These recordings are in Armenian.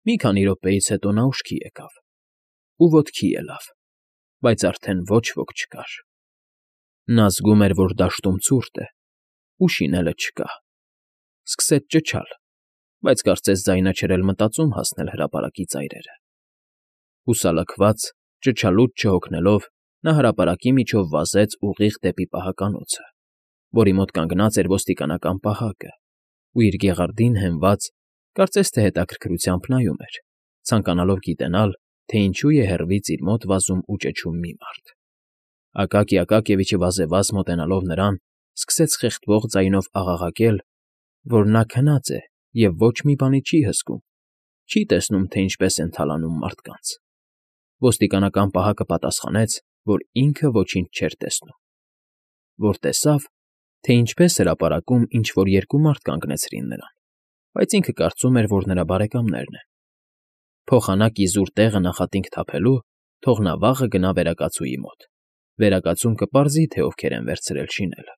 Մի քանի րոպեից հետո նա ուշքի եկավ ու ոտքի ելավ, բայց արդեն ոչ ոք չկար։ Նա զգում էր, որ դաշտում ցուրտ է, ու շինելը չկա։ Սկսեց ճչալ, բայց կարծես ձայնը չէր էլ մտածում հասնել հրապարակի ծայրերը։ Հուսալքված, ճչալուց չհոգնելով, նա հրապարակի միջով վազեց ուղիղ դեպի պահականոցը, որի մոտ կանգնած էր ոստիկանական պահակը, ու իր գեղարդին հենված, կարծես թե հետաքրքրությամբ նայում էր, ցանկանալով գիտենալ, թե ինչու է հեռվից իր մոտ վազում ու ճչում մի մարդ։ Ակակի Ակակիևիչը վազեվազ մոտենալով նրան, սկսեց խեղդվող ձայնով աղաղակել, որ նա քնած է և ոչ մի բանի չի հսկում, չի տեսնում, թե ինչպես են թալանում մարդկանց։ Ոստիկանական պահակը պատասխանեց, որ ինքը ոչինչ չէր տեսնում, որ տեսավ, թե ինչպես հրապարակում ինչ֊որ երկու մարդ կանգնեցրին նրան, բայց ինքը կարծում էր, որ նրա բարեկամներն են։ Փոխանակ իզուր տեղը նախատինք թափելու, թող նա վաղը գնա վերակացուի մոտ, վերակացուն կպարզի, թե ովքեր են վերցրել շինելը։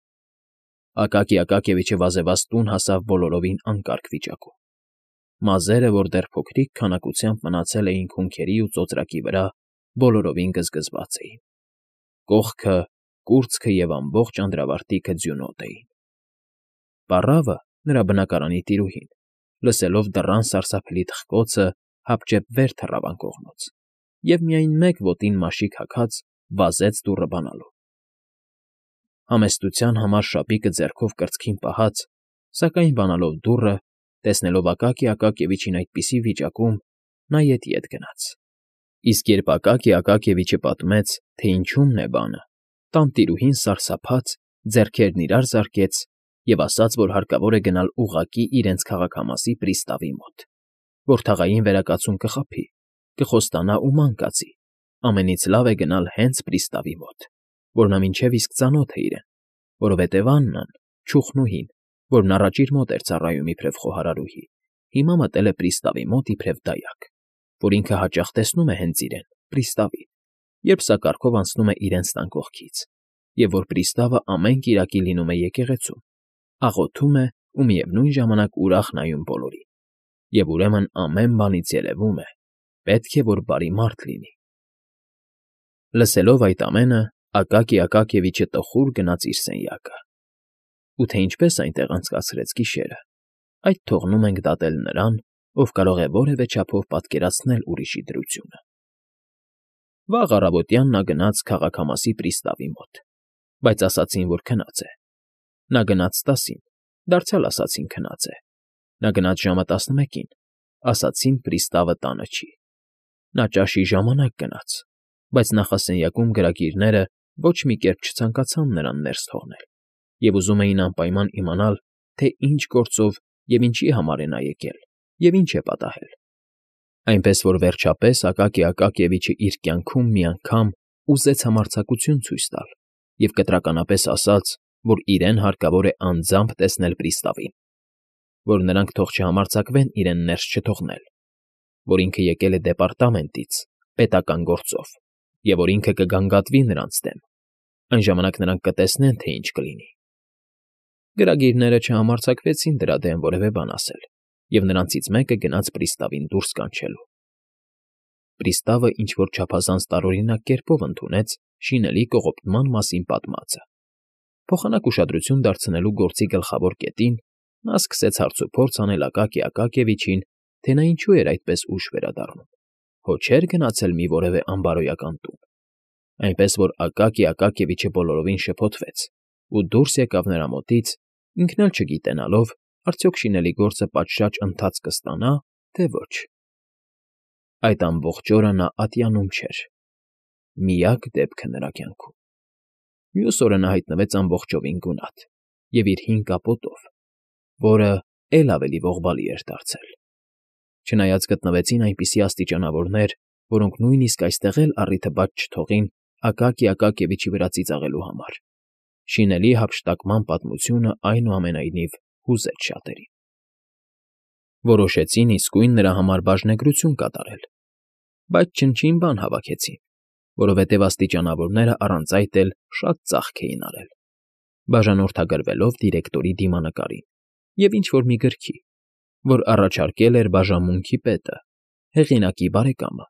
Ակակի Ակակիևիչը վազեվազ տուն հասավ բոլորովին անկարգ վիճակում։ Մազերը, որ դեռ փոքրիկ քանակությամբ մնացել էին քունքերի ու ծոծրակի վրա, բոլորովին գզգզված էին։ Կողքը, կուրծքը և ամբողջ անդրավարտիքը ձյունոտ էին։ Պառավը, նրա բնակարանի տիրուհին, լսելով դռան սարսափելի թխկոցը, հապճեպ վեր թռավ անկողնոց և միայն մեկ ոտին մաշիկ հագած վազեց դուռը բանալու։ Համեստության համար շապիկը ձեռքով կրծքին պահած, սակայն բանալով դուռը, տեսնելով Ակակի Ակակիևիչին այդպիսի վիճակում, նա ետ գնաց։ Իսկ երբ Ակակի Ակակիևիչը պատմեց, թե ինչումն է բանը, տանտիրուհին սարսափած ձեռքերն իրար զարկեց և ասաց, որ հարկավոր է գնալ ուղղակի իրենց քաղաքամասի պրիստավի մոտ, որ թաղային վերակացուն կխաբի, կխոստանա ու ման կածի, ամենից լավ է գնալ հենց պրիստավի մոտ, որ նա մինչև իսկ ծանոթ է իրեն, որովհետև Աննան, չուխնուհին, որն առաջ իր մոտ էր ծառայում իբրև խոհարարուհի, հիմա մտել է պրիստավի մոտ իբրև դայակ, որ ինքը հաճախ տեսնում է հենց իրեն, պրիստավին, երբ սա կառքով անցնում է իրենց տան կողքից, և որ պրիստավը ամեն կիրակի լինում է եկեղեցում, աղոթում է ու միևնույն ժամանակ ուրախ նայում բոլորին, և ուրեմն ամեն բանից երևում է, պետք է, որ բարի մարդ լինի։ Լսելով այդ ամենը, Ակակի Ակակիևիչը տխուր գնաց իր սենյակը։ Ու թե ինչպես այնտեղ անցկացրեց գիշերը, այդ թողնում ենք դատել նրան, ով կարող է որևէ չափով պատկերացնել ուրիշի դրությունը։ Վաղ առավոտյան նա գնաց քաղաքամասի պրիստավի մոտ, բայց ասացին, որ քնած է։ Նա գնաց 10-ին, դարձյալ ասացին քնած է։ Նա գնաց ժամը 11-ին, ասացին պրիստավը տանը չի։ Նա ճաշի ժամանակ գնաց, բայց նախասենյակում գրագիրները ոչ մի կերպ չցանկացան նրան ներս թողնել և ուզում էին անպայման իմանալ, թե ինչ գործով և ինչի համար է նա եկել և ինչ է պատահել։ Այնպես որ վերջապես Ակակի Ակակիևիչը իր կյանքում մի անգամ ուզեց համարձակություն ցույց տալ և կտրականապես ասաց, որ իրեն հարկավոր է անձամբ տեսնել պրիստավին, որ նրանք թող չհամարձակվեն իրեն ներս չթողնել, որ ինքը եկել է դեպարտամենտից, պետական գործով, և որ ինքը կգանգատվի նրանց դեմ, այն ժամանակ նրանք կտեսնեն, թե ինչ կլինի։ Գրագիրները չհամարձակվեցին դրա դեմ որևէ բան ասել, և նրանցից մեկը գնաց պրիստավին դուրս կանչելու։ Պրիստավը ինչ֊որ չափազանց տարօրինակ կերպով ընդունեց շինելի կողոպտման մասին պատմածը։ Փոխանակ ուշադրություն դարձնելու գործի գլխավոր կետին նա սկսեց հարցուփորձ անել Ակակի Ակակիևիչին, թե նա ինչու էր այդպես ուշ վերադառնում, հո չէր գնացել մի որևէ անբարոյական տուն։ Այնպես որ Ակակի Ակակիևիչը բոլորովին շփոթվեց ու դուրս եկավ նրա մոտից, ինքն էլ չգիտենալով, արդյոք շինելի գործը պատշաճ ընթաց կստանա, թե ոչ։ Այդ ամբողջ օրը նա ատյանում չէր։ Միակ դեպքը նրա կյանքում։ Մյուս օրը նա հայտնվեց ամբողջովին գունատ և իր հին կապոտով, որը էլ ավելի ողբալի էր դարձել։ Չնայած գտնվեցին այնպիսի աստիճանավորներ, որոնք նույնիսկ այստեղ էլ առիթը բաց չթողին Ակակի Ակակիևիչի վրա ծիծաղելու համար, շինելի հափշտակման պատմությունը այնուամենայնիվ հուզեց շատերին։ Որոշեցին իսկույն նրա համար բաժնեգրություն կատարել, բայց չնչին բան հավաքեցին, որովհետև աստիճանավորները առանց այդ էլ շատ ծախք էին արել, բաժանորդագրվելով դիրեկտորի դիմանկարին և ինչ֊որ մի գրքի, որ առաջարկել էր բաժանմունքի պետը, հեղինակի բարեկամը։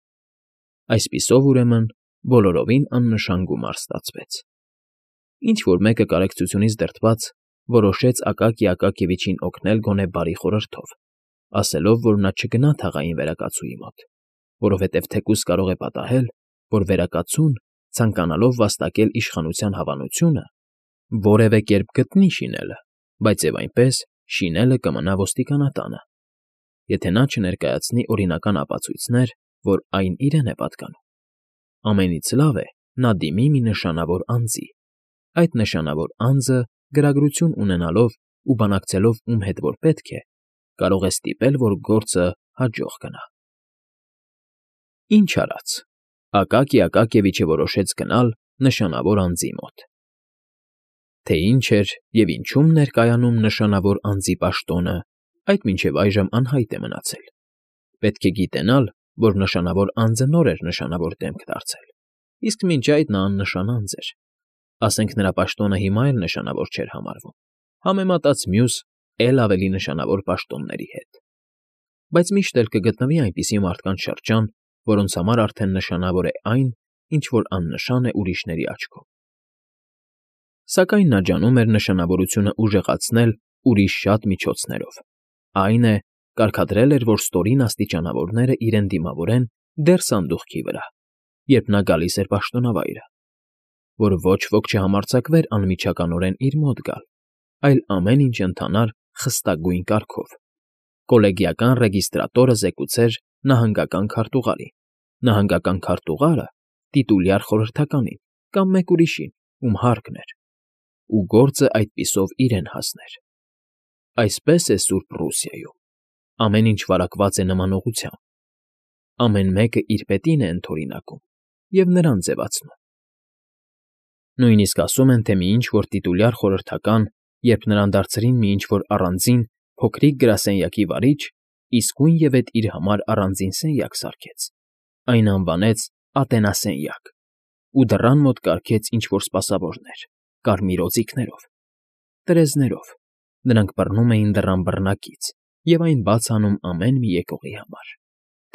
Այսպիսով, ուրեմն, բոլորովին աննշան գումար ստացվեց։ Ինչ֊որ մեկը կարեկցությունից դրդված որոշեց Ակակի Ակակիևիչին օգնել գոնե բարի խորհրդով, ասելով, որ նա չգնա թաղային վերակացուի մոտ, որովհետև թեկուզ կարող է պատահել, որ վերակացուն, ցանկանալով վաստակել իշխանության հավանությունը, որևէ կերպ գտնի շինելը, բայց և այնպես շինելը կմնա ոստիկանատանը, եթե նա չներկայացնի օրինական ապացույցներ, որ այն իրեն է պատկանում։ Ամենից լավ է նա դիմի մի նշանավոր անձի, այդ նշանավոր անձը գրագրություն ունենալով ու բանակցելով ում հետ որ պետք է, կարող է ստիպել, որ գործը հաջող գնա։ Ինչ արած, Ակակի Ակակիևիչը որոշեց գնալ նշանավոր անձի մոտ։ Թե ինչ էր և ինչում ներկայանում նշանավոր անձի պաշտոնը, այդ մինչև այժմ անհայտ է մնացել։ Պետք է գիտենալ, որ նշանավոր անձը նոր էր նշանավոր դեմք դարձել, իսկ մինչ այդ նա աննշան անձ էր, ասենք նրա պաշտոնը հիմա էլ նշանավոր չէր համարվում, համեմատած մյուս էլ ավելի նշանավոր պաշտոնների հետ։ Բայց միշտ էլ կգտնվի այնպիսի մարդկանց շրջան, որոնց համար արդեն նշանավոր է այն, ինչ որ աննշան է ուրիշների աչքում։ Սակայն նա ջանում էր նշանավորությունը ուժեղացնել ուրիշ շատ միջոցներով։ Այն է, կարգադրել էր, որ ստորին աստիճանավորները իրեն դիմավորեն դեռ սանդուղքի վրա, երբ նա գալիս էր պաշտոնավայրը, որ ոչ ոք չհամարձակվեր անմիջականորեն իր մոտ գալ, այլ ամեն ինչ ընթանար խստագույն կարգով։ Կոլեգիական ռեգիստրատորը զեկուցեր նահանգական քարտուղարին, նահանգական քարտուղարը տիտուլյար խորհրդականին կամ մեկ ուրիշին, ում հարկն էր, ու գործը այդպիսով իրեն հասներ։ Այսպես է Սուրբ Ռուսիայում։ Ամեն ինչ վարակված է նմանողությամբ։ Ամեն մեկը իր պետին է ընդօրինակում և նրան ձևացնում։ Նույնիսկ ասում են, թե մի ինչ-որ տիտուլյար խորհրդական, երբ նրան դարձրին մի ինչ-որ առանձին փոքրիկ գրասենյակի վարիչ, իսկույնևեթ իր համար առանձին սենյակ սարքեց, այն անվանեց Ատենասենյակ ու դռան մոտ կարգեց ինչ֊որ սպասավորներ, կարմիր օձիքներով, տրեզներով, նրանք բռնում էին դռան բռնակից և այն բաց անում ամեն մի եկողի համար,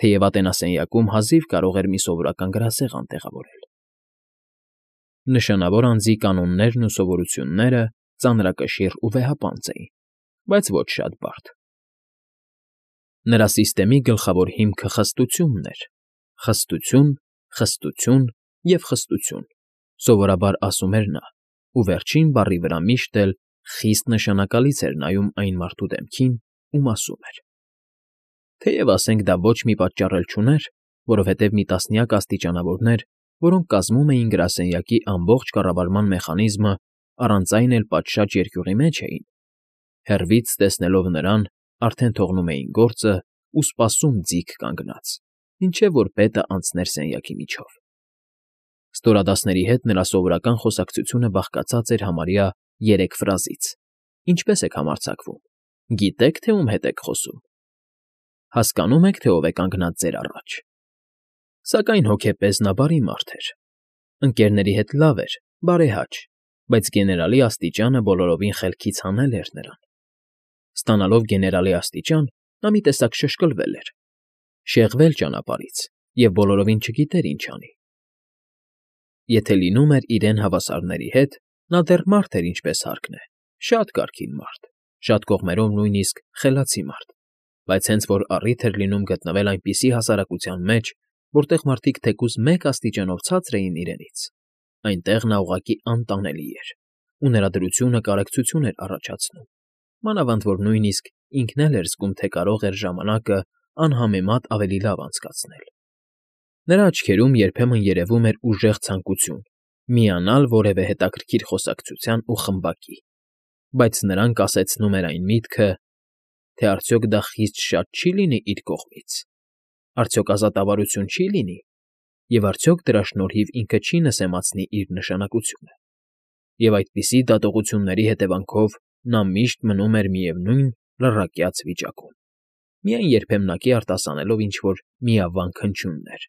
թեև Ատենասենյակում հազիվ կարող էր մի սովորական գրասեղան տեղավորել։ Նշանավոր անձի կանոններն ու սովորությունները ծանրակշիռ ու վեհապանծ էին, բայց ոչ շատ բարդ։ Նրա սիստեմի գլխավոր հիմքը խստությունն էր, խստություն, խստություն և խստություն, սովորաբար ասում էր նա, ու վերջին բառի վրա միշտ էլ խիստ նշանակալից էր նայում այն մարդու դեմքին, ում ասում էր։ Թեև, ասենք, դա ոչ մի պատճառ էլ չուներ, որովհետև մի տասնյակ աստիճանավորներ, որոնք կազմում էին գրասենյակի ամբողջ կառավարման մեխանիզմը, առանց այն էլ պատշաճ երկյուղի մեջ էին, հեռվից տեսնելով նրան, արդեն թողնում էին գործը ու սպասում ձիգ կանգնած, մինչև որ պետը անցներ սենյակի միջով։ Ստորադասների հետ նրա սովորական խոսակցությունը բաղկացած էր համարյա 3 ֆրազից։ Ինչպե՞ս եք համարձակվում։ Գիտե՞ք, թե ում հետ եք խոսում։ Հասկանո՞ւմ եք, թե ով է կանգնած ձեր առաջ։ Սակայն հոգեպես նա բարի մարդ էր։ Ընկերների հետ լավ էր, բարեհաճ, բայց գեներալի աստիճանը բոլորովին խելքից հանել էր նրան։ Ստանալով գեներալի աստիճան, նա մի տեսակ շշկլվել էր, շեղվել ճանապարհից և բոլորովին չգիտեր ինչ անի։ Եթե լինում էր իրեն հավասարների հետ, նա դեռ մարդ էր ինչպես հարկն է, շատ կարգին մարդ, շատ կողմերով նույնիսկ խելացի մարդ, բայց հենց որ առիթ էր լինում գտնվել այնպիսի հասարակության մեջ, որտեղ մարդիկ թեկուզ մեկ աստիճանով ցածր էին իրենից, այնտեղ նա ուղղակի անտանելի էր, ու նրա դրությունը կարեկցություն էր առաջացնում, մանավանդ որ նույնիսկ ինքն էլ էր զգում, թե կարող էր ժամանակը անհամեմատ ավելի լավ անցկացնել։ Նրա աչքերում երբեմն երևում էր ուժեղ ցանկություն միանալ որևէ հետաքրքիր խոսակցության ու խմբակի, բայց նրան կասեցնում էր այն միտքը, թե արդյոք դա խիստ շատ չի լինի իր կողմից, արդյոք ազատավարություն չի լինի, և արդյոք դրա շնորհիվ ինքը չի նսեմացնի իր նշանակությունը։ Եվ այդպիսի դատողությունների հետևանքով նա միշտ մնում էր միևնույն լռակյաց վիճակում, միայն երբեմնակի արտասանելով ինչ֊որ միավանք հնչյուններ,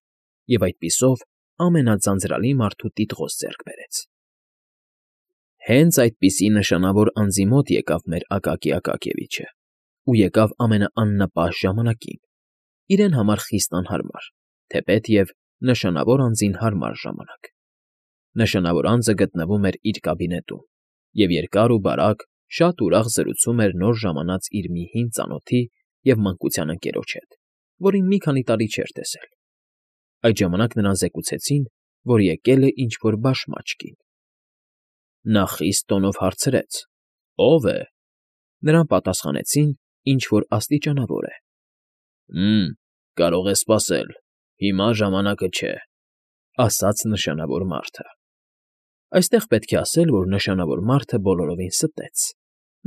և այդպիսով ամենաձանձրալի մարդու տիտղոս ձեռք բերեց։ Հենց այդպիսի նշանավոր անձի մոտ եկավ մեր Ակակի Ակակիևիչը, ու եկավ ամենաաննպաշտ ժամանակին, իրեն համար խիստ անհարմար, թեպետև նշանավոր անձին հարմար ժամանակ։ Նշանավոր անձը գտնվում էր իր կաբինետում և երկար ու բարակ, շատ ուրախ զրուցում էր նոր ժամանած իր մի հին ծանոթի և մանկության ընկերոջ հետ, որին մի քանի տարի չէր տեսել։ Այդ ժամանակ նրան զեկուցեցին, որ եկել է ինչ֊որ բաշմաճ կին։ Նա խիստ տոնով հարցրեց. «Ո՞վ է»։ Նրան պատասխանեցին. «Ինչ֊որ աստիճանավոր է»։ Կարող է սպասել, հիմա ժամանակը չէ», ասաց նշանավոր մարդը։ Այստեղ պետք է ասել, որ նշանավոր մարդը բոլորովին ստեց։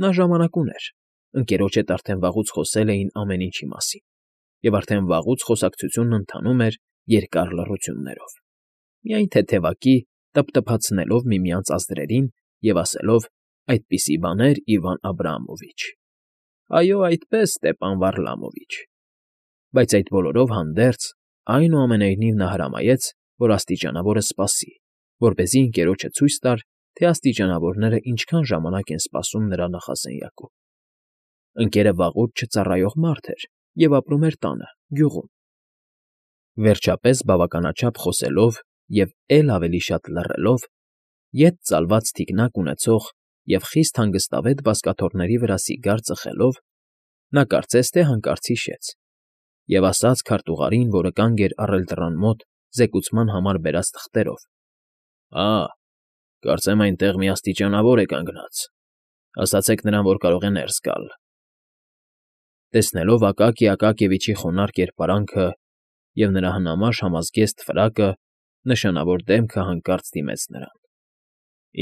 Նա ժամանակ ուներ, ընկերոջ հետ արդեն վաղուց խոսել էին ամեն ինչի մասին, և արդեն վաղուց խոսակցությունն ընթանում էր երկար լռություններով, միայն թեթևակի տփթփացնելով միմյանց ազդրերին և ասելով. «Այդպիսի բաներ, Իվան Աբրամովիչ»։ «Այո, այդպես, Ստեպան Վարլամովիչ»։ Բայց այդ բոլորով հանդերձ, այնուամենայնիվ նա հրամայեց, որ աստիճանավորը սպասի, որպեսզի ընկերոջը ցույց տար, թե աստիճանավորները ինչքան ժամանակ են սպասում նրա նախասենյակում։ Ընկերը վաղուց չծառայող մարդ էր և ապրում էր տանը, գյուղում։ Վերջապես, բավականաչափ խոսելով և էլ ավելի շատ լռելով, ետ ծալված թիկնակ ունեցող և խիստ հանգստավետ բազկաթոռների վրա սիգար ծխելով, նա կարծես թե հանկարծ հիշեց և ասաց քարտուղարին, որը կանգ էր առել դռան մոտ զեկուցման համար բերած թղթերով. Կարծեմ այնտեղ մի աստիճանավոր է կանգնած, ասացեք նրան, որ կարող է ներս գալ։ Տեսնելով Ակակի Ակակիևիչի խոնարհ կերպարանքը և նրա հնամաշ համազգեստ ֆրակը, նշանավոր դեմքը հանկարծ դիմեց նրան։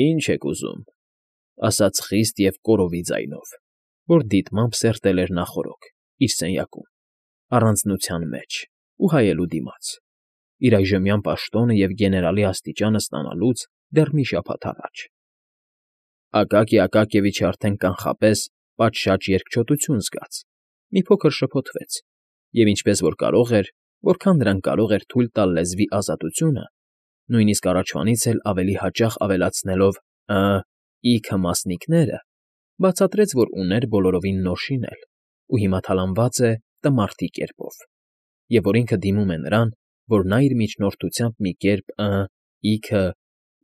«Ինչ եք ուզում», ասաց խիստ և կորովի ձայնով, որ դիտմամբ սերտել էր նախօրոք, իր սենյակում, առանձնության մեջ ու հայելու դիմաց, իր այժմյան պաշտոնը և գեներալի աստիճանը ստանալուց դեռ մի շաբաթ առաջ։ Ակակի Ակակիևիչը արդեն կանխապես պատշաճ երկչոտություն զգաց, մի փոքր շփոթվեց և ինչպես որ կարող էր, որքան նրան կարող էր թույլ տալ լեզվի ազատությունը, նույնիսկ առաջվանից էլ ավելի հաճախ ավելացնելով «իքը» մասնիկները, բացատրեց, որ ուներ բոլորովին նոր շինել ու հիմա թալանված է տմարդի կերպով, և որ ինքը դիմում է նրան, որ նա իր միջնորդությամբ մի կերպ «իքը»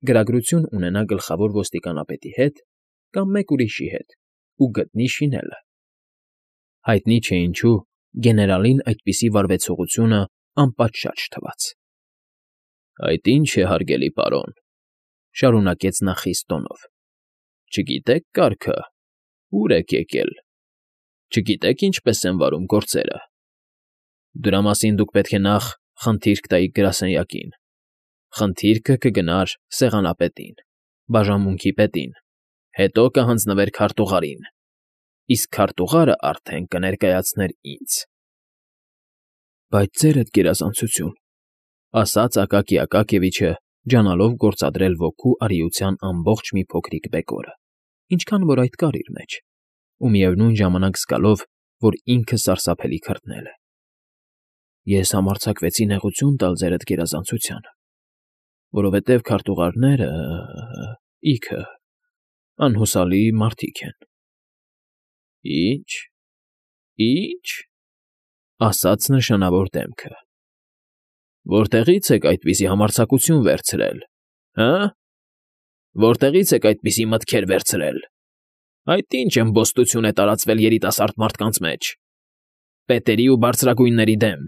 գրագրություն ունենա գլխավոր ոստիկանապետի հետ կամ մեկ ուրիշի հետ ու գտնի շինելը։ Հայտնի չէ ինչու, գեներալին այդպիսի վարվեցողությունը անպատշաճ թվաց։ «Այդ ի՞նչ է, հարգելի պարոն,֊ շարունակեց նա խիստ տոնով,֊ չգիտեք կարգը, ուր եք եկել, չգիտեք ինչպես են վարում գործերը։ Դրա մասին դուք պետք է նախ խնդիրք տայիք գրասենյակին, խնդիրքը կգնար սեղանապետին, բաժանմունքի պետին, հետո կհանձնվեր քարտուղարին, իսկ քարտուղարը արդեն կներկայացներ ինձ»։ «Բայց, Ձերդ գերազանցություն,֊ ասաց Ակակի Ակակիևիչը, ջանալով գործադրել ոգու արիության ամբողջ մի փոքրիկ բեկորը, ինչքան որ այդ կար իր մեջ, ու միևնույն ժամանակ զգալով, որ ինքը սարսափելի քրտնել է,֊ Ես համարձակվեցի նեղություն տալ Ձերդ գերազանցությանը, որովհետև քարտուղարները… իքը… անհուսալի մարդիկ են»։ «Ի՞նչ, ի՞նչ,֊ ասաց նշանավոր դեմքը,֊ որտեղի՞ց եք այդպիսի համարձակություն վերցրել, որտեղի՞ց եք այդպիսի մտքեր վերցրել։ Այդ ի՞նչ էմբոստություն է տարածվել երիտասարդ մարդկանց մեջ, պետերի ու բարձրագույնների դեմ»։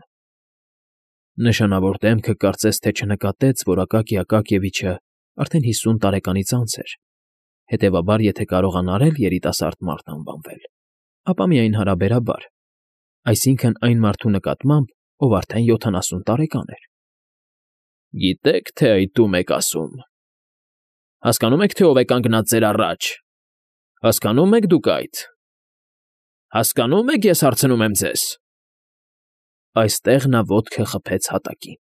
Նշանավոր դեմքը կարծես թե չնկատեց, որ Ակակի Ակակիևիչը արդեն 50 տարեկանից անց էր, հետևաբար, եթե կարողանար էլ երիտասարդ մարդ անվանվել, ապա միայն հարաբերաբար, այսինքն այն մարդու նկատմամբ, ով արդեն 70 տարեկան էր։ «Գիտեք, թե այդ ում եք ասում, հասկանո՞ւմ եք, թե ով է կանգնած ձեր առաջ, հասկանո՞ւմ եք դուք այդ, հասկանո՞ւմ եք, ես հարցնում եմ ձեզ»։ Այստեղ նա ոտքը խփեց հատակին,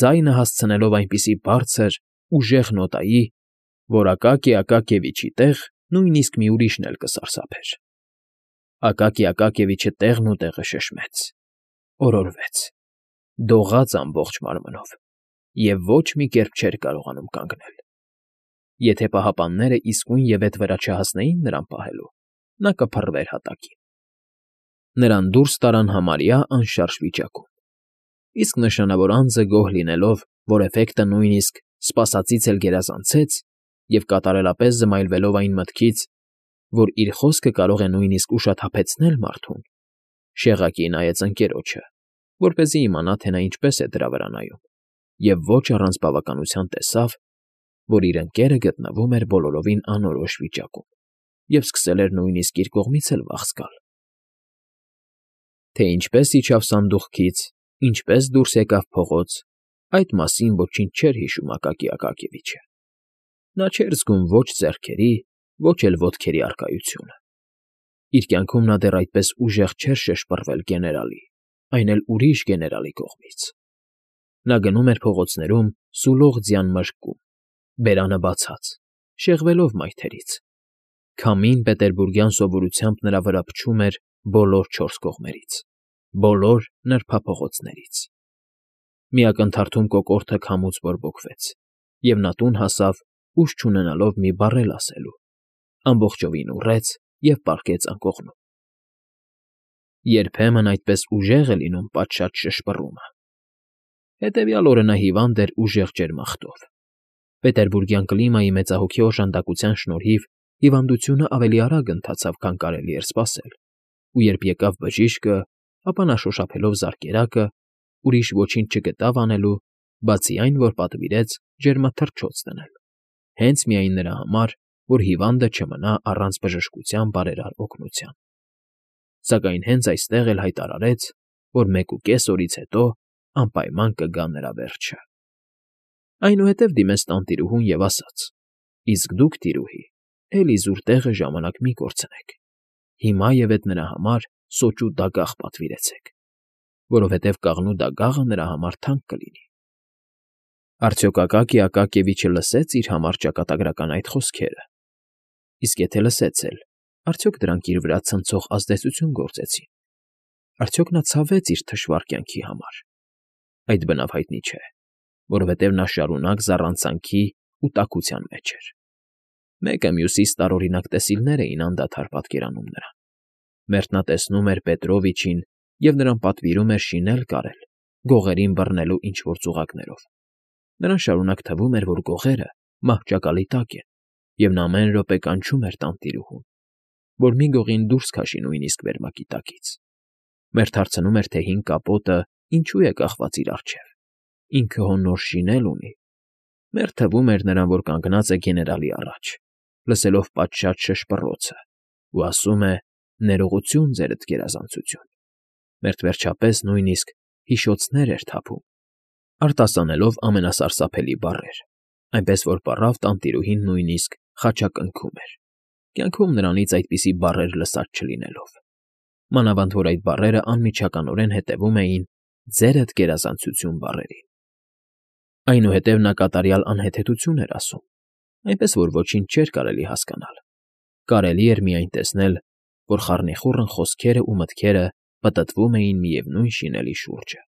ձայնը հասցնելով այնպիսի բարձր, ուժեղ նոտայի, որ Ակակի Ակակիևիչի տեղ նույնիսկ մի ուրիշն էլ կսարսափեր։ Ակակի Ակակիևիչը տեղն ու տեղը շշմեց, օրորվեց, դողաց ամբողջ մարմնով և ոչ մի կերպ չէր կարողանում կանգնել։ Եթե պահապանները իսկույն ետ վրա չհասնեին նրան պահելու, նա կփռվեր հատակին։ Նրան դուրս տարան համարյա անշարժ վիճակում, իսկ նշանավոր անձը գոհ լինելով, որ էֆեկտը նույնիսկ սպասածից էլ գերազանցեց, և կատարելապես զմայլվելով այն մտքից, որ իր խոսքը կարող է նույնիսկ ուշաթափեցնել մարդուն, շեղակի նայեց ընկերոջը, որպեսզի իմանա, թե նա ինչպես է դրա վրա նայում, և ոչ առանց բավականության տեսավ, որ իր ընկերը գտնվում էր բոլորովին անորոշ վիճակում և սկսել էր նույնիսկ իր կողմից էլ վախ զգալ։ Թե ինչպես իջավ սանդուղքից, ինչպես դուրս եկավ փողոց, այդ մասին ոչինչ չէր հիշում Ակակի Ակակիևիչը։ Նա չէր զգում ոչ ձեռքերի, ոչ էլ ոտքերի առկայությունը։ Իր կյանքում նա դեռ այդպես ուժեղ չէր շշպռվել գեներալի, այն էլ ուրիշ գեներալի կողմից։ Նա գնում էր փողոցներում սուլող ձյան մրրկում, բերանը բացած, շեղվելով մայթերից։ Քամին պետերբուրգյան սովորությամբ նրա վրա փչում էր բոլոր չորս կողմերից, բոլոր նրբափողոցներից։ Մի ակնթարթում կոկորդը քամուց բորբոքվեց, և նա տուն հասավ, ուժ չունենալով մի բառ էլ ասելու, ամբողջովին ուռեց և պառկեց անկողնում։ Երբեմն այդպես ուժեղ է լինում պատշաճ շշպռումը։ Հետևյալ օրը նա հիվանդ էր ուժեղ ջերմախտով։ Պետերբուրգյան կլիմայի մեծահոգի օժանդակության շնորհիվ հիվանդությունը ավելի արագ ընթացավ, քան կարելի էր սպասել, ու երբ եկավ բժիշկը, ապա նա շոշափելով զարկերակը, ուրիշ ոչինչ չգտավ անելու, բացի այն, որ պատվիրեց ջերմաթռչոց դնել, հենց միայն նրա համար, որ հիվանդը չմնա առանց բժշկության բարերար օգնության։ Սակայն հենց այստեղ էլ հայտարարեց, որ 1.5 օրից հետո անպայման կգա նրա վերջը։ Այնուհետև դիմեց տանտիրուհուն և ասաց. «Իսկ դուք, տիրուհի, էլի զուր տեղը ժամանակ մի կորցնեք, հիմայևեթ նրա համար սոճու դագաղ պատվիրեցեք, որովհետև կաղնու դագաղը նրա համար թանկ կլինի»։ Արդյոք Ակակի Ակակիևիչը լսեց իր համար ճակատագրական այդ խոսքերը։ Իսկ եթե լսեց էլ, արդյոք դրանք իր վրա ցնցող ազդեցություն գործեցին։ Արդյոք նա ցավեց իր թշվառ կյանքի համար։ Այդ բնավ հայտնի չէ, որովհետև նա շարունակ զառանցանքի ու տաքության մեջ էր։ Մեկը մյուսից տարօրինակ տեսիլներ էին անդադար պատկերանում նրան։ Մերթնատեսնում էր Պետրովիչին և նրան պատվիրում էր շինել կարել, գողերին բռնելու ինչ֊որ ծուղակներով։ Նրան շարունակ թվում էր, որ գողերը մահճակալի տակ են, և նա ամեն րոպե կանչում էր տանտիրուհուն, որ մի գողին դուրս քաշի նույնիսկ վերմակի տակից։ Մերթ հարցնում էր, թե հին կապոտը ինչու է կախված իր առջև, ինքը հո նոր շինել ունի։ Մերթ թվում էր նրան, որ կանգնած է գեներալի առաջ, լսելով պատշաճ շշպռոցը, ու ասում է. «Ներողություն, ձերդ գերազանցություն»։ Մերթ վերջապես նույնիսկ հիշոցներ էր թափում, արտասանելով ամենասարսափելի բառեր, այնպես որ պառավ տանտիրուհին նույնիսկ խաչակնքում էր, կյանքում նրանից այդպիսի բառեր լսած չլինելով։ Մանավանդ որ այդ բառերը անմիջականորեն հետևում էին «ձերդ գերազանցություն» բառերին։ Այնուհետև նա կատարյալ անհեթեթություն էր ասում, այնպես որ ոչինչ չէր կարելի հասկանալ։ Կարելի էր միայն տեսնել, որ խառնիխուռն խոսքերն ու մտքերը պտտվում էին միևնույն շինելի շուրջը։